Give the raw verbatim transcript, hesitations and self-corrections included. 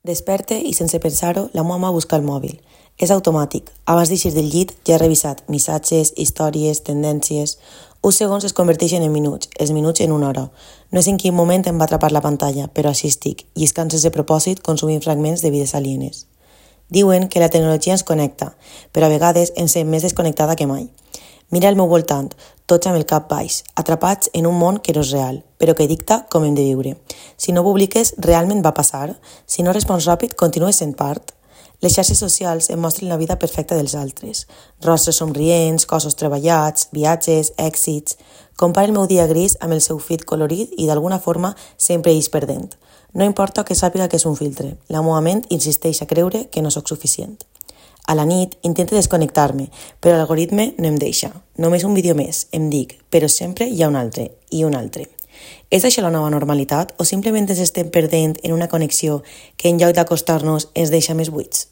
Desperte i sense pensar-ho, la meva mà busca el mòbil. És automàtic. Abans d'eixir del llit ja he revisat missatges, històries, tendències. Uns segons es converteixen en minuts, els minuts en una hora. No sé en quin moment em va atrapar la pantalla, però així estic, lliscant sense propòsit, consumint fragments de vides alienes. Diuen que la tecnologia ens connecta, però a vegades em sent més desconnectada que mai. Mira al meu voltant, tots amb el cap baix, atrapats en un món que no és real, però que dicta com hem de viure. Si no publiques, realment va passar? Si no respons ràpid, continues sent part? Les xarxes socials em mostren la vida perfecta dels altres. Rostres somrients, cossos treballats, viatges, èxits... Compara el meu dia gris amb el seu feed colorit i d'alguna forma sempre eix perdent. No importa que sàpiga que és un filtre, la meva ment insisteix a creure que no sóc suficient. A la nit intento desconnectar-me, però l'algoritme no em deixa. Només un vídeo més, em dic, però sempre hi ha un altre, i un altre. És això la nova normalitat o simplement ens estem perdent en una connexió que en lloc d'acostar-nos ens deixa més buits?